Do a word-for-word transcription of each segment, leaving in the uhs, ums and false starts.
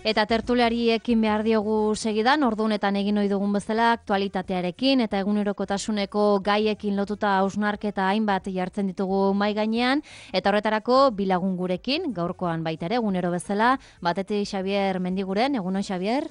Eta tertuliari ekin behar diogu segidan, ordunetan egin ohi dugun bezala aktualitatearekin eta egunerokotasuneko gaiekin lotuta hausnarketa hainbat jartzen ditugu mai gainean, eta horretarako bilagun gurekin, gaurkoan baita ere egunero bezala, batetik Xabier Mendiguren, egunon Xabier?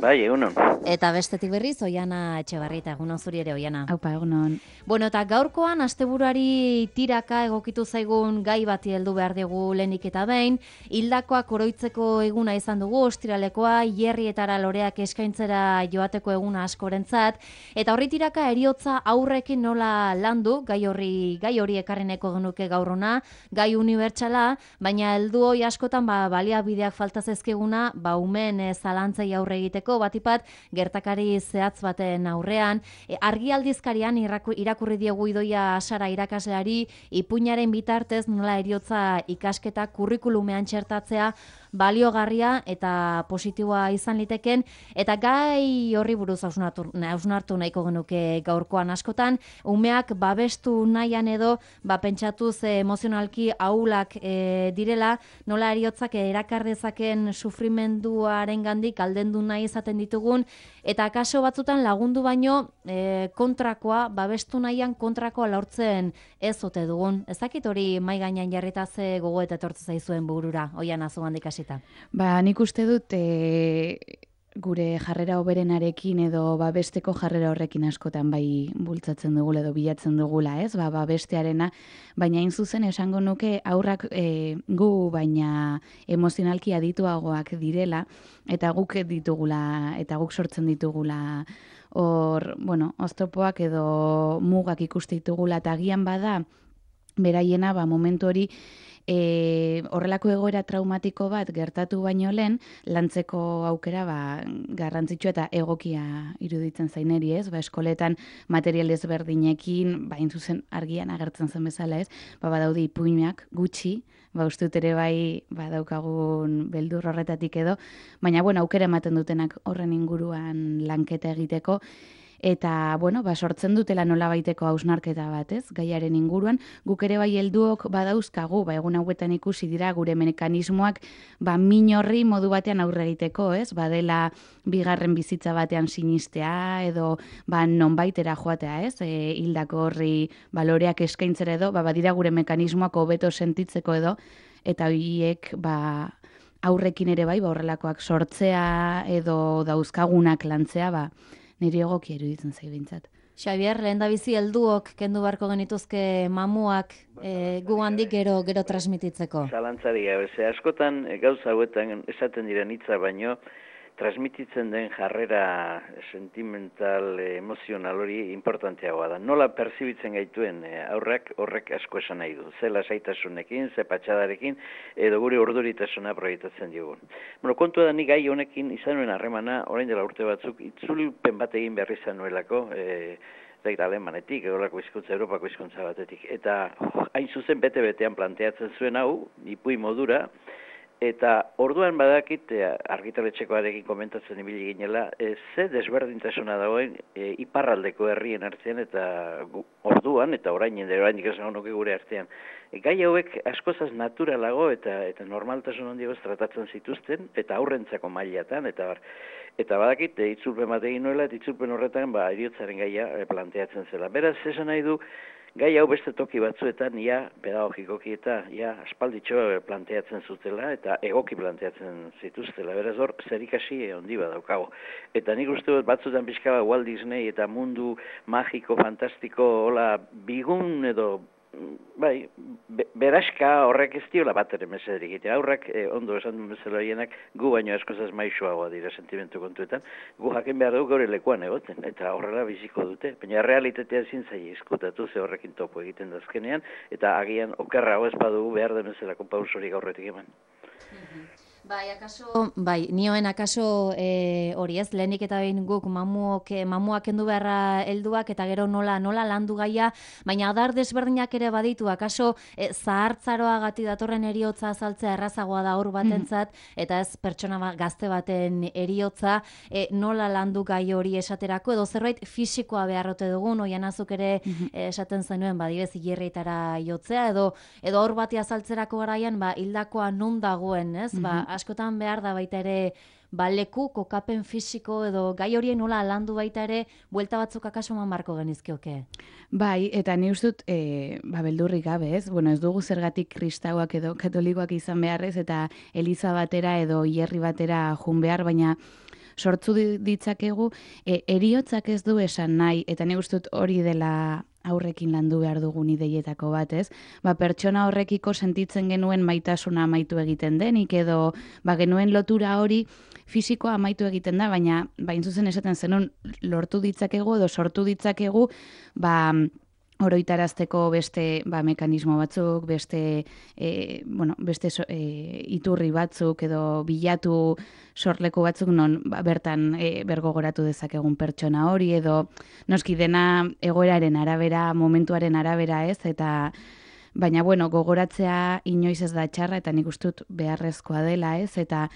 Bai, egunon. Eta bestetik berriz, Oiana Etxebarrieta, egunon zuri ere, Oiana. Aupa, egunon. Bueno, eta gaurkoan, asteburuari tiraka egokitu zaigun gai bati heldu behar dugu lehenik eta behin, hildakoak oroitzeko eguna izan dugu, ostiralekoa, hierrietara loreak eskaintzera joateko eguna askorentzat, eta horri tiraka eriotza aurrekin nola landu, gai horri gai hori ekarreneko genuke gaurrona, gai unibertsala, baina heldu hoi askotan ba, baliabideak falta zaizkiguna, ba, umen e, zalantzei aurre egiteko, batipat gertakari zehatz baten aurrean, e, argi aldizkarian irakurri diegu Idoia Sara irakasleari ipuinaren bitartez nola eriotza ikasketa kurrikulumean txertatzea baliogarria eta positiboa izan liteken, eta gai horri buruz hausnartu, hausnartu nahiko genuke gaurkoan askotan, umeak babestu nahian edo, ba, pentsatuz e, emozionalki ahulak e, direla, nola eriotzak erakardezaken sufrimenduaren gandik aldendu nahi izaten ditugun, eta kaso batzutan lagundu baino e, kontrakoa, babestu nahian kontrakoa lortzen ez ote dugun. Ez dakit hori mai gainean jarrita ze gogo eta etortze zaizuen burura, Oiana zugandik hasita. Ba, nik uste dut e, gure jarrera hoberenarekin edo babesteko jarrera horrekin askotan bai bultzatzen dugula edo bilatzen dugula, ez? Ba, babestearena, baina hain zuzen esango nuke aurrak e, gu baina emozionalki adituagoak direla eta guk ditugula eta guk sortzen ditugula hor, bueno, oztopoak edo mugak ikuste ditugula eta agian bada beraiena ba momentu hori E, horrelako egoera traumatiko bat gertatu baino lehen, lantzeko aukera ba, garrantzitsua eta egokia iruditzen zaineri, ez? Ba, eskoletan material ezberdinekin, ba, zuzen argian agertzen zen bezala, ez? Ba, badaude ipuinak gutxi, ba, uste dut ere bai badaukagun beldur horretatik edo, baina, bueno, aukera ematen dutenak horren inguruan lanketa egiteko, eta, bueno, ba, sortzen dutela nola baiteko hausnarketa bat, ez? Gaiaren inguruan, guk ere bai helduok badauzkagu, ba, egun hauetan ikusi dira gure mekanismoak, ba, min horri modu batean aurre egiteko, ez? Badela bigarren bizitza batean sinistea, edo, ba, nonbaitera joatea, ez? E, hildako horri baloreak eskaintzera edo, ba, badira gure mekanismoak hobeto sentitzeko edo, eta horiek, ba, aurrekin ere bai, ba, horrelakoak sortzea edo dauzkagunak lantzea, ba, niri egokia iruditzen zai bintzat. Xabier, lehen da bizi helduok kendu beharko genituzke mamuak e, gu handik gero gero transmititzeko. Zalantzari gabe, ze askotan gauza hauetan esaten diren hitza baino, transmititzen den jarrera sentimental, emozional hori importanteagoa da. Nola perzibitzen gaituen aurrak horrek asko esan nahi du. Ze lasaitasunekin, ze patxadarekin, edo gure urduritasuna proiektatzen digun. Bueno, kontua da ni gai honekin izan nuen harremana, orain dela urte batzuk, itzulpen bat egin behar izan nuelako, e, eta alemanetik, egolako hizkuntza, Europako hizkuntza batetik. Eta oh, hain zuzen bete-betean planteatzen zuen hau, ipui modura, eta orduan badakit, argitaletxekoarekin komentatzen ibili ginela, e, ze desberdintasuna dagoen e, iparraldeko herrien artean eta gu, orduan, eta orain orain esan nuke gure artean. E, gai hauek askozaz naturalago eta eta normaltasun handiagoz tratatzen zituzten, eta aurrentzako mailatan, eta bar. Eta badakit, e, itzulpen bat egin nuela, eta itzulpen horretan ba, eriotzaren gaia e, planteatzen zela. Beraz, esan nahi du, gai hau beste toki batzuetan, ja, pedagogikoki eta, ja, aspalditxo planteatzen zutela, eta egoki planteatzen zituztela. Beraz hor, zerikasi handi badaukago. Eta nik uste dut batzutan pixka Walt Disney eta mundu magiko, fantastiko, hola, bigun edo, bai, be, beraska horrek ez diola bat ere mesederik egite. Aurrak, eh, ondo esan duen bezala hienak, gu baino askozaz maixoagoa dira sentimentu kontuetan, gu jakin behar dugu gaur lekuan egoten, eta horrela biziko dute. Baina realitatea ezin zaila eskutatu, ze horrekin topo egiten dazkenean, eta agian okerra ez badugu behar den bezalako pausorik aurretik eman. Bai, akaso, bai, nioen akaso e, hori ez, lehenik eta behin guk mamuok, mamuak kendu beharra helduak eta gero nola nola landu gaia, baina adar desberdinak ere baditu, akaso e, zahartzaroa gati datorren eriotza azaltzea errazagoa da hor batentzat, eta ez pertsona ba, gazte baten eriotza, e, nola landu gai hori esaterako, edo zerbait fisikoa beharrote dugun, oian azuk ere e, esaten zenuen, badibez, hilerritara jotzea, edo edo hor bati azaltzerako garaian, ba, hildakoa non dagoen, ez, ba, askotan behar da baita ere ba, leku, kokapen fisiko edo gai horien nola landu baita ere, buelta batzuk akaso eman barko genizkioke. Bai, eta ni uste dut, e, ba, beldurrik gabe, ez? Bueno, ez dugu zergatik kristauak edo katolikoak izan beharrez, eta eliza batera edo hierri batera jun behar, baina sortzu ditzakegu, e, eriotzak ez du esan nahi, eta ni uste dut hori dela aurrekin landu behar dugun ideietako bat, ez? Ba, pertsona horrekiko sentitzen genuen maitasuna amaitu egiten denik, edo ba, genuen lotura hori fisikoa amaitu egiten da, baina bain zuzen esaten zenun lortu ditzakegu edo sortu ditzakegu, ba, oroitarazteko beste ba, mekanismo batzuk, beste, e, bueno, beste so, e, iturri batzuk edo bilatu sorleku batzuk non ba, bertan e, bergogoratu dezakegun pertsona hori edo noski dena egoeraren arabera, momentuaren arabera ez, eta baina bueno, gogoratzea inoiz ez da txarra eta nik uste dut beharrezkoa dela ez, eta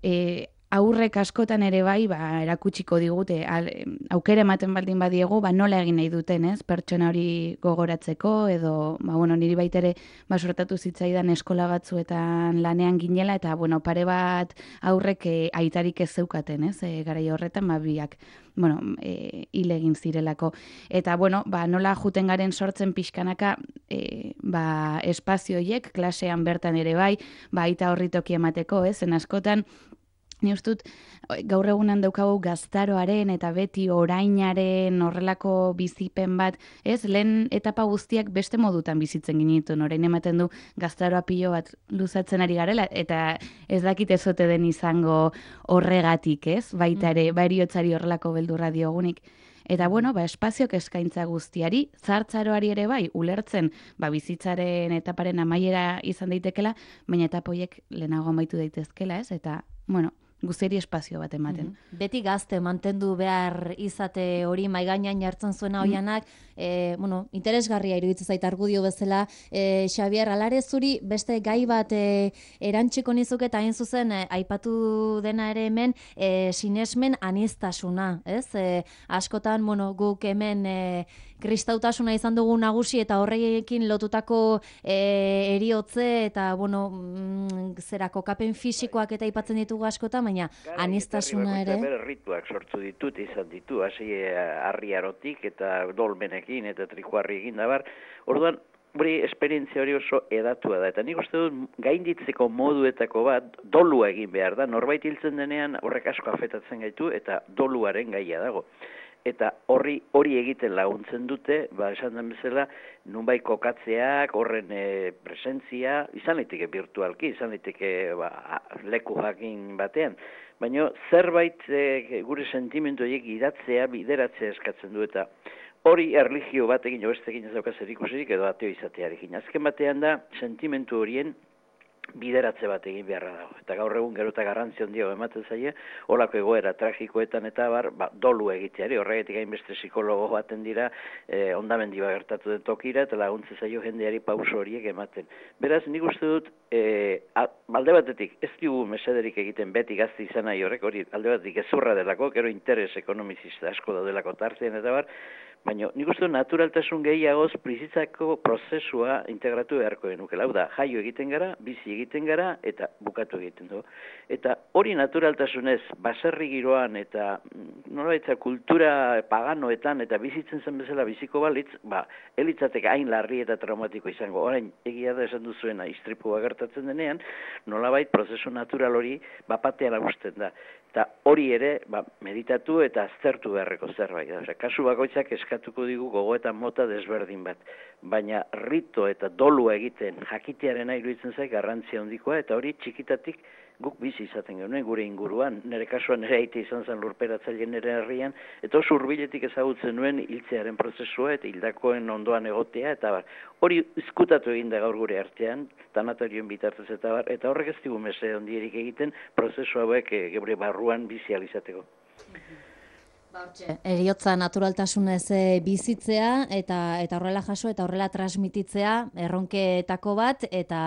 e, aurrek askotan ere bai, ba, erakutsiko digute, al, aukera ematen baldin badiegu, ba, nola egin nahi duten, ez? Pertsona hori gogoratzeko, edo, ba, bueno, niri baitere, ba, sortatu zitzaidan eskola batzuetan lanean ginela, eta, bueno, pare bat aurrek e, aitarik ez zeukaten, ez? E, garai horretan, ba, biak, bueno, e, hil egin zirelako. Eta, bueno, ba, nola juten garen sortzen pixkanaka, e, ba, espazioiek, klasean bertan ere bai, ba, aita horri toki emateko, ez? En askotan, ni uste dut, gaur egunan daukagu gaztaroaren eta beti orainaren horrelako bizipen bat, ez, lehen etapa guztiak beste modutan bizitzen ginituen, orain ematen du gaztaroa pilo bat luzatzen ari garela, eta ez dakit ezote den izango horregatik, ez, baita ere, bariotzari horrelako beldurra diogunik. Eta bueno, ba, espaziok eskaintza guztiari, zartzaroari ere bai, ulertzen, ba, bizitzaren etaparen amaiera izan daitekela, baina etapoiek lehenago amaitu daitezkela, ez, eta, bueno, guztiari espazio bat ematen. Mm-hmm. Beti gazte mantendu behar izate hori maigainan jartzen zuena hoianak, mm. e, bueno, interesgarria iruditzen zait argudio bezala, e, Xabier, alare zuri beste gai bat e, erantziko nizuk eta hain zuzen e, aipatu dena ere hemen e, sinesmen aniztasuna, ez? E, askotan, bueno, guk hemen e, kristautasuna izan dugu nagusi eta horrekin lotutako e, eriotze eta, bueno, mm, zera kokapen fisikoak eta aipatzen ditugu askotan, baina aniztasuna ere. Bere rituak sortu ditut, izan ditu, hasi harriarotik eta dolmenekin eta trikuarriekin da bar. Orduan, hori esperientzia hori oso edatua da. Eta nik uste dut gainditzeko moduetako bat dolua egin behar da. Norbait hiltzen denean horrek asko afetatzen gaitu eta doluaren gaia dago. Eta horri hori egiten laguntzen dute, ba, esan den bezala, nunbait kokatzeak, horren e, presentzia, izan liteke virtualki, izan liteke ba, leku jakin batean. Baina zerbait e, gure sentimendu horiek idatzea, bideratzea eskatzen du, eta hori erlijio batekin, jo bestekin ez daukaz erikusirik, edo ateo izatearekin. Azken batean da, sentimendu horien bideratze bat egin beharra dago. Eta gaur egun gero eta garrantzi handia ematen zaie, holako egoera tragikoetan eta bar, ba, dolu egiteari, horregatik hainbeste psikologo baten dira, eh, ondamendi bat gertatu den tokira, eta laguntze zaio jendeari pauso horiek ematen. Beraz, nik uste dut, eh, alde batetik, ez dugu mesederik egiten beti gazte izan nahi horrek, hori alde batetik ezurra delako, gero interes ekonomizista asko daudelako tartean eta bar, baina nik uste naturaltasun gehiagoz bizitzako prozesua integratu beharko genukela. Hau da, jaio egiten gara, bizi egiten gara eta bukatu egiten du. Eta hori naturaltasunez, baserri giroan eta nolabaitza kultura paganoetan eta bizitzen zen bezala biziko balitz, ba, elitzatek hain larri eta traumatiko izango. Orain, egia da esan duzuena, istripua gertatzen denean, nolabait prozesu natural hori bapatean agusten da. Eta hori ere, ba, meditatu eta aztertu beharreko zerbait. Osea, kasu bakoitzak eskatuko digu gogoetan mota desberdin bat. Baina rito eta dolua egiten jakitearen iruditzen zaik garrantzia handikoa, eta hori txikitatik guk bizi izaten genuen gure inguruan. Nire kasuan nire aite izan zen lurperatzaile nire herrian, eta oso hurbiletik ezagutzen nuen hiltzearen prozesua eta hildakoen ondoan egotea, eta bar, hori izkutatu egin da gaur gure artean, tanatorioen bitartez eta bar, eta horrek ez digu mese ondierik egiten prozesu hauek e, geure barruan bizi alizateko. Eriotza naturaltasunez bizitzea eta eta horrela jaso eta horrela transmititzea erronketako bat eta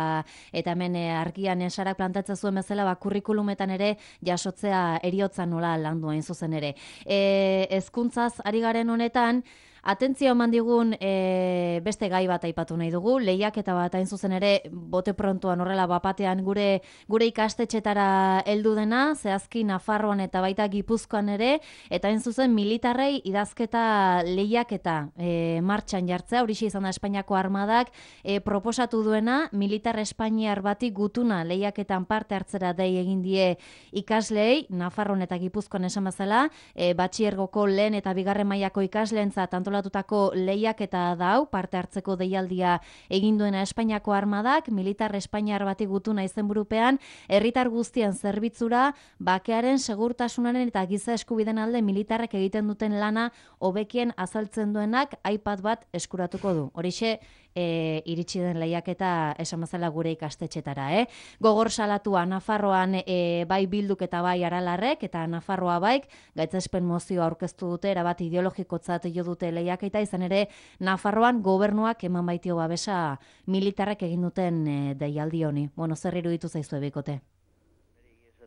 eta hemen argian Sarak plantatzen zuen bezala ba kurrikulumetan ere jasotzea eriotza nola landu hain zuzen ere. E, hezkuntzaz ari garen honetan Atentzio eman digun e, beste gai bat aipatu nahi dugu, lehiaketa bat hain zuzen ere, bote prontuan horrela bapatean gure gure ikastetxetara heldu dena, zehazki Nafarroan eta baita Gipuzkoan ere, eta hain zuzen militarrei idazketa lehiaketa e, martxan jartzea, horixe izan da Espainiako armadak e, proposatu duena, militar espainiar bati gutuna lehiaketan parte hartzera dei egin die ikasleei, Nafarroan eta Gipuzkoan esan bezala, e, batxiergoko lehen eta bigarren mailako ikasleentzat antolatutako lehiaketa da hau, parte hartzeko deialdia egin duena Espainiako armadak, militar espainiar bati gutuna izenburupean, herritar guztien zerbitzura, bakearen, segurtasunaren eta giza eskubiden alde militarrek egiten duten lana hobekien azaltzen duenak iPad bat eskuratuko du. Horixe, E, iritsi den lehiaketa esan bezala gure ikastetxetara, eh? Gogor salatua Nafarroan e, bai Bilduk eta bai Aralarrek, eta Nafarroa baik, gaitzespen mozioa aurkeztu dute, erabat ideologikotzat jo dute lehiaketa, izan ere Nafarroan gobernuak eman baitio babesa militarrek egin duten e, deialdi honi. Bueno, zer iruditu zaizu ebikote?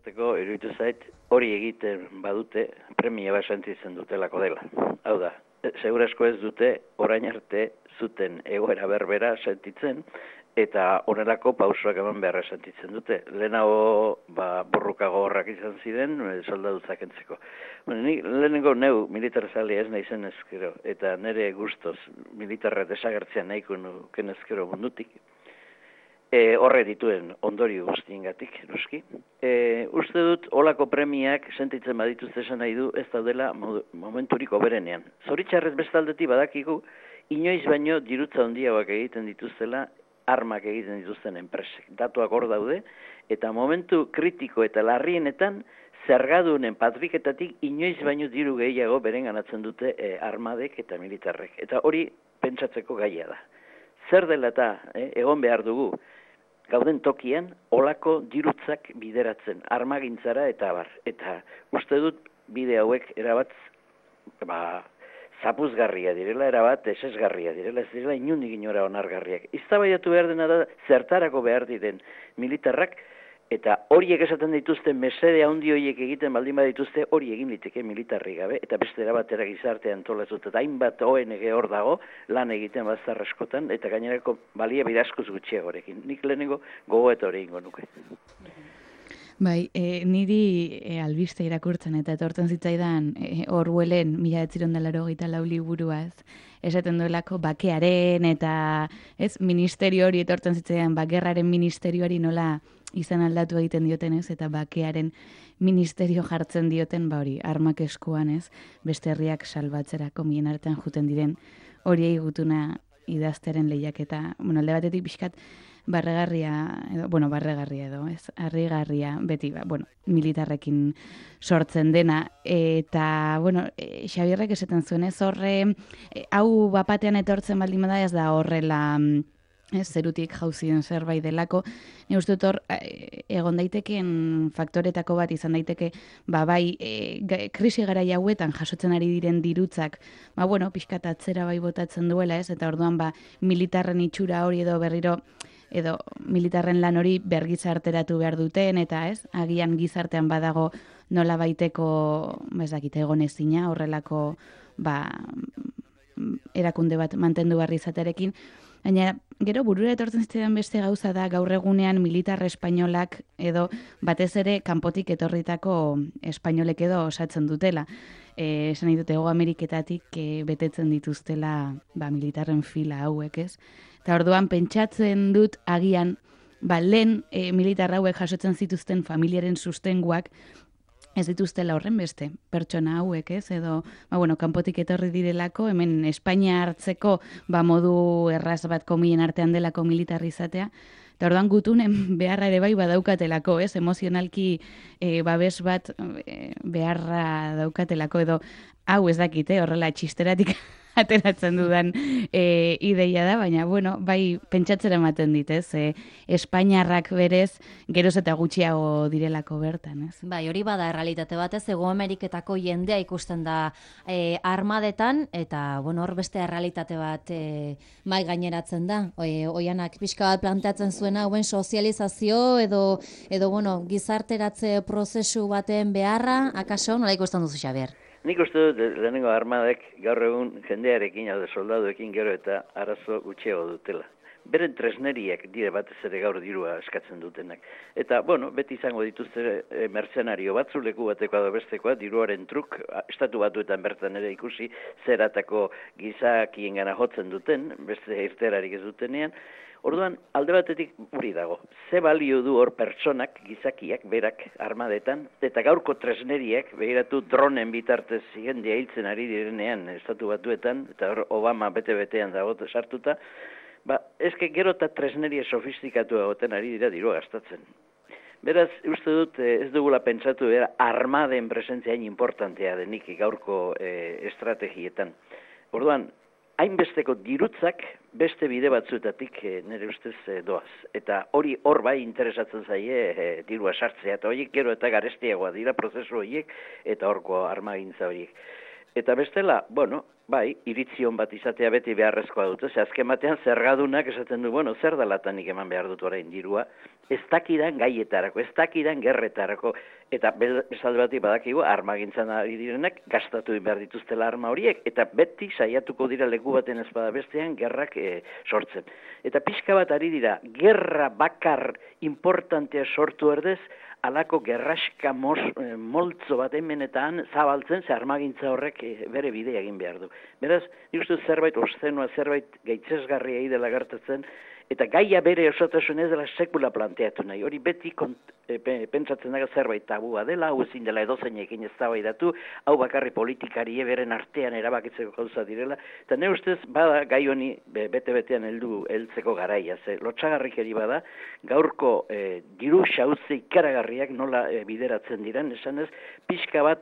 Iruditu zait, hori egiten badute, premia bat sentitzen dutelako dela. Hau da, segurasko ez dute orain arte zuten egoera berbera sentitzen, eta honelako pausoak eman beharra sentitzen dute. Lehenago ba, borruka gogorrak izan ziren, soldadutzak entzeko. Bueno, ni lehenengo neu militar zalea ez naizen ezkero, eta nire guztoz militarra desagertzea nahiko nuken ezkero mundutik. E, horre dituen ondorio guztiengatik, noski. E, uste dut, olako premiak sentitzen badituzte esan nahi du, ez daudela momenturik oberenean. Zoritxarrez bestaldetik badakigu, inoiz baino dirutza handiagoak egiten dituztela, armak egiten dituzten enpresek. Datuak hor daude, eta momentu kritiko eta larrienetan, zergadunen patriketatik inoiz baino diru gehiago beren ganatzen dute e, armadek eta militarrek. Eta hori pentsatzeko gaia da. Zer dela eta eh, egon behar dugu, gauden tokian, olako dirutzak bideratzen, armagintzara eta abar. Eta uste dut bide hauek erabat, ba, zapuzgarria direla, erabat esesgarria direla, ez direla inundik inora onargarriak. Iztabaiatu behar dena da, zertarako behar diren militarrak, eta horiek esaten dituzten mesede handi horiek egiten baldin badituzte, hori egin liteke militarri gabe, eta beste erabatera gizartean antolatzut, eta hainbat O N G hor dago, lan egiten bazar askotan, eta gainerako balia bidazkoz gutxiagorekin. Nik lehenengo gogo eta hori ingo nuke. Bai, e, niri e, albiste irakurtzen eta etortzen zitzaidan e, Orwellen mila bederatziehun eta laurogeita lau liburuaz, esaten duelako bakearen eta ez ministerio hori etortzen zitzaidan, bakerraren ministerioari nola izan aldatu egiten dioten ez, eta bakearen ministerio jartzen dioten, ba hori, armak eskuan ez, beste herriak salbatzerako mien artean juten diren horiei gutuna idaztearen lehiaketa, bueno, alde batetik pixkat barregarria, edo, bueno, barregarria edo, ez, harrigarria, beti, ba, bueno, militarrekin sortzen dena, eta, bueno, e, Xabierrek esaten zuen, ez horre, e, hau bapatean etortzen baldin bada ez da horrela, ez, zerutik jauzien zerbait delako, ni uste dut hor, egon daiteken faktoretako bat izan daiteke, ba, bai, e, krisi garai hauetan jasotzen ari diren dirutzak, ba, bueno, pixkat atzera bai botatzen duela, ez, eta orduan, ba, militarren itxura hori edo berriro, edo militarren lan hori bergizarteratu behar duten, eta ez, agian gizartean badago nola baiteko, ba, ez dakite egon ezina, horrelako, ba, erakunde bat mantendu barri izatearekin. Baina, gero burura etortzen zitzaidan beste gauza da gaur egunean militar espainolak edo batez ere kanpotik etorritako espainolek edo osatzen dutela. Eh, esan nahi dute Hego Ameriketatik e, betetzen dituztela ba, militarren fila hauek, ez? Eta orduan pentsatzen dut agian ba, lehen e, militar hauek jasotzen zituzten familiaren sustenguak ez dituztela horren beste, pertsona hauek, ez? Edo, ba, bueno, kanpotik etorri direlako, hemen Espainia hartzeko ba, modu erraz bat komien artean delako militarri izatea, eta orduan gutunen beharra ere bai badaukatelako, ez? Emozionalki e, babes bat e, beharra daukatelako, edo hau ez dakite, horrela txisteratik ateratzen dudan e, ideia da, baina, bueno, bai pentsatzera ematen dit, ez? E, Espainiarrak berez, geroz eta gutxiago direlako bertan, ez? Bai, hori bada errealitate bat, ez? Hego Ameriketako jendea ikusten da e, armadetan, eta, bueno, hor beste errealitate bat e, mai gaineratzen da. E, oianak pixka bat planteatzen zuena, hauen sozializazio edo, edo, bueno, gizarteratze prozesu baten beharra, akaso, nola ikusten duzu, Xabier? nik uste dut lehenengo armadek gaur egun jendearekin, hau de soldaduekin gero eta arazo gutxiago dutela. Beren tresneriak dire batez ere gaur dirua eskatzen dutenak. Eta, bueno, beti izango dituzte e, mercenario batzu, leku batekoa da bestekoa, diruaren truk, estatu batuetan bertan ere ikusi, zeratako gizakien gana jotzen duten, beste irterarik ez dutenean. Orduan, alde batetik hori dago. Ze balio du hor pertsonak, gizakiak, berak armadetan, eta gaurko tresneriak, behiratu dronen bitartez jendea hiltzen ari direnean estatu batuetan, eta hor Obama bete-betean dago sartuta, ba, ezke gero eta tresneria sofistikatu egoten ari dira dirua gastatzen. Beraz, uste dut ez dugula pentsatu bera armaden presentzia hain importantea denik gaurko e, estrategietan. Orduan, hainbesteko dirutzak beste bide batzuetatik e, nire ustez e, doaz. Eta hori hor bai interesatzen zaie e, dirua sartzea, eta horiek gero eta garestiagoa dira prozesu horiek eta horko armagintza horiek. Eta bestela, bueno, bai, iritzion bat izatea beti beharrezkoa dute, ze azken batean zergadunak esaten du, bueno, zer dalatanik eman behar dut orain dirua, ez dakidan gaietarako, ez dakidan gerretarako, eta bezalde batik badakigu armagintzan ari direnak gastatu behar dituztela arma horiek, eta beti saiatuko dira leku baten ez bada bestean gerrak e, sortzen. Eta pixka bat ari dira, gerra bakar importantea sortu erdez, alako gerraska mos, e, moltzo bat hemenetan zabaltzen, ze armagintza horrek e, bere bidea egin behar du. Beraz, nik uste zerbait ostenua, zerbait gaitzesgarria idela gertatzen, eta gaia bere osotasun ez dela sekula planteatu nahi. Hori beti kont, e, pentsatzen dago zerbait tabua dela, hau ezin dela edozeinekin eztabaidatu, hau bakarri politikari beren artean erabakitzeko gauza direla, eta ne ustez bada gai honi bete-betean heldu heltzeko garaia, ze lotxagarrikeri bada, gaurko e, diru xauze ikaragarriak nola e, bideratzen diren, esan ez, pixka bat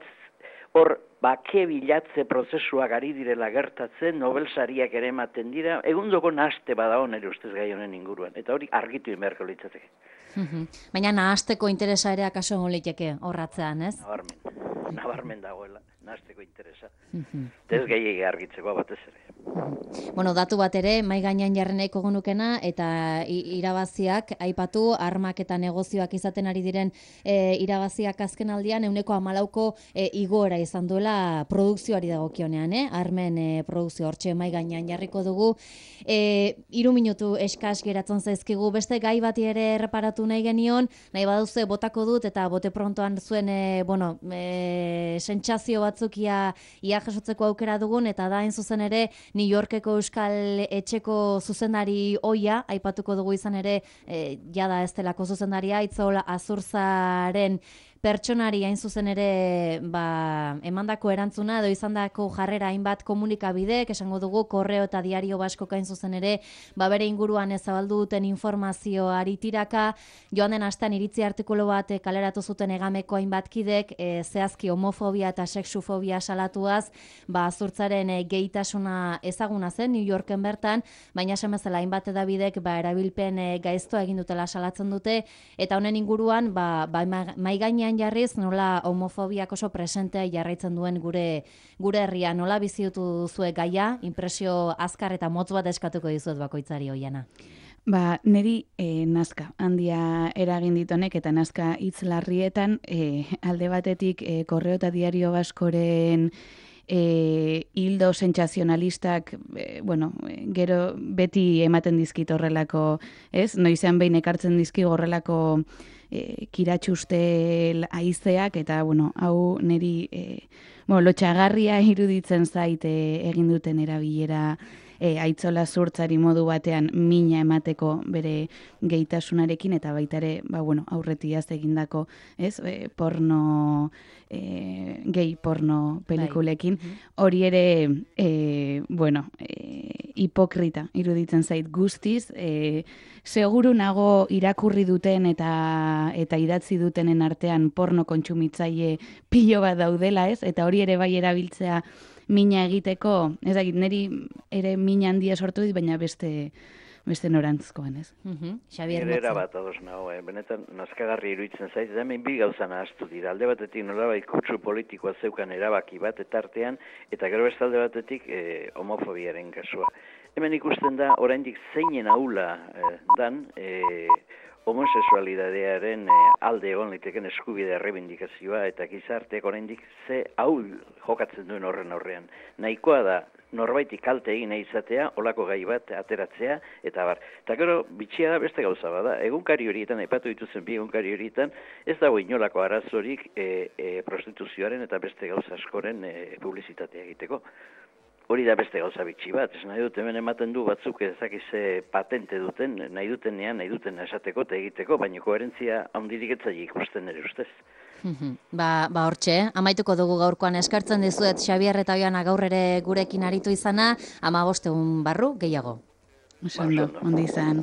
hor bake bilatze prozesuak ari direla gertatzen, Nobel sariak ere ematen dira, egundoko nahaste bada nire ustez gai honen inguruan, eta hori argitu inberko litzateke. Baina nahasteko interesa ere akaso egon liteke horratzean, ez? Nabarmen, nabarmen dagoela, nahasteko interesa. Ez gehiagik argitzeko batez ere. Bueno, datu bat ere, mai gainean jarri nahiko genukena, eta irabaziak, aipatu, armak eta negozioak izaten ari diren e, irabaziak azken aldian, euneko hamalauko e, igoera izan duela produkzioari dagokionean, eh? Armen e, produkzio hortxe mai gainean jarriko dugu. E, iru minutu eskas geratzen zaizkigu, beste gai bati ere erreparatu nahi genion, nahi baduze botako dut, eta bote prontoan zuen, e, bueno, e, sentsazio batzuk ia, ia jasotzeko aukera dugun, eta da hain zuzen ere, New Yorkeko Euskal Etxeko zuzendari oia, aipatuko dugu izan ere, e, jada ez delako zuzendaria, Itzaola Azurzaren pertsonari hain zuzen ere ba, emandako erantzuna edo izandako jarrera hainbat komunikabidek, esango dugu Korreo eta Diario Basko hain zuzen ere, ba bere inguruan ezabaldu duten informazioari tiraka, joan den astean iritzi artikulu bat kaleratu zuten Egameko hainbat kidek, e, zehazki homofobia eta sexufobia salatuaz, ba Azurtzaren e, gehitasuna ezaguna zen New Yorken bertan, baina esan bezala hainbat edabidek ba erabilpen e, gaiztoa egin dutela salatzen dute, eta honen inguruan ba, ba mai gainean jarriz nola homofobiak oso presentea jarraitzen duen gure gure herria, nola bizitu duzue gaia, impresio azkar eta motz bat eskatuko dizuet bakoitzari Oiana. Ba, niri e, nazka handia eragin ditonek eta nazka hitz larrietan e, alde batetik e, Korreo eta Diario Baskoren E, hildo sentsazionalistak, e, bueno, gero beti ematen dizkit horrelako, ez? Noizean behin ekartzen dizki horrelako e, kiratxuste haizeak, eta, bueno, hau niri e, bueno, lotxagarria iruditzen zait e, egin duten erabilera e, Aitzola Zurtzari modu batean mina emateko bere gehitasunarekin, eta baita ere, ba, bueno, aurretiaz egindako, ez, e, porno, e, gay porno pelikulekin, hori ere, e, bueno, e, hipokrita iruditzen zait guztiz, e, seguru nago irakurri duten eta eta idatzi dutenen artean porno kontsumitzaile pilo bat daudela, ez, eta hori ere bai erabiltzea mina egiteko, ez dakit, niri ere mina handia sortu dit, baina beste beste norantzkoan, ez? Uh-huh. Xabier Motza. Era bat ados nago, eh? Benetan nazkagarri iruditzen zaiz, da hemen bi gauza nahaztu dira. Alde batetik nolabait kutsu politikoa zeukan erabaki bat etartean, eta gero beste alde batetik eh, homofobiaren kasua. Hemen ikusten da, oraindik zeinen ahula eh, dan, eh, homosexualidadearen e, alde egon liteken eskubide errebindikazioa eta gizarteak oraindik ze ahul jokatzen duen horren aurrean. Nahikoa da norbaiti kalte egin nahi izatea, olako gai bat ateratzea, eta bar. Eta gero, bitxia da beste gauza bada. Egunkari horietan, aipatu dituzen bi egunkari horietan, ez dago inolako arazorik e, e, prostituzioaren eta beste gauza askoren e, publizitatea egiteko. Hori da beste gauza bitxi bat, ez nahi dut hemen ematen du batzuk ezakize patente duten, nahi dutenean, nahi duten esateko eta egiteko, baina koherentzia handirik etzaile ikusten ere ustez. Ba, ba hortxe, amaituko dugu gaurkoan eskartzen dizuet Xabier eta Oiana gaur ere gurekin aritu izana, hamabost egun barru gehiago. Oso ondo, ondo izan.